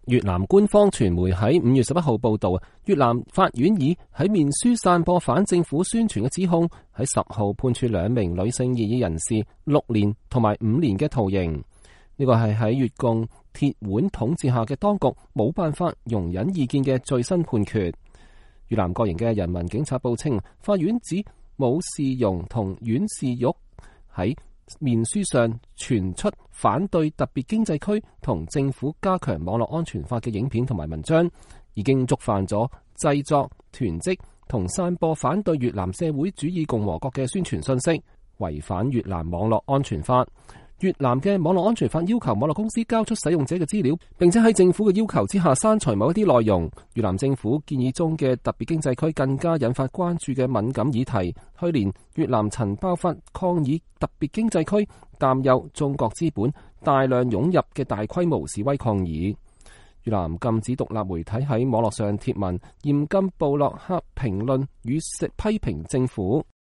越南官方傳媒喺5月11號報道，越南法院以喺面書散播反政府宣傳嘅指控，喺10號判處2名女性異議人士6年同埋5年嘅徒刑。呢個係喺越共鐵腕統治下嘅當局冇辦法容忍意見嘅最新判決。越南國營嘅人民警察報稱，法院指武士容同阮氏玉喺面書上傳出反對特別經濟區同政府加強網絡安全法嘅影片同埋文章，已經觸犯咗製作、囤積同散播反對越南社會主義共和國嘅宣傳信息，違反越南網絡安全法。越南嘅網絡安全法要求網絡公司交出使用者嘅資料，並且喺政府嘅要求之下刪除某一啲內容。越南政府建議中嘅特別經濟區更加引發關注嘅敏感議題。去年越南曾爆發抗議特別經濟區，擔憂中國資本大量湧入嘅大規模示威抗議。越南禁止獨立媒體喺網絡上貼文，嚴禁部落客評論與批評政府。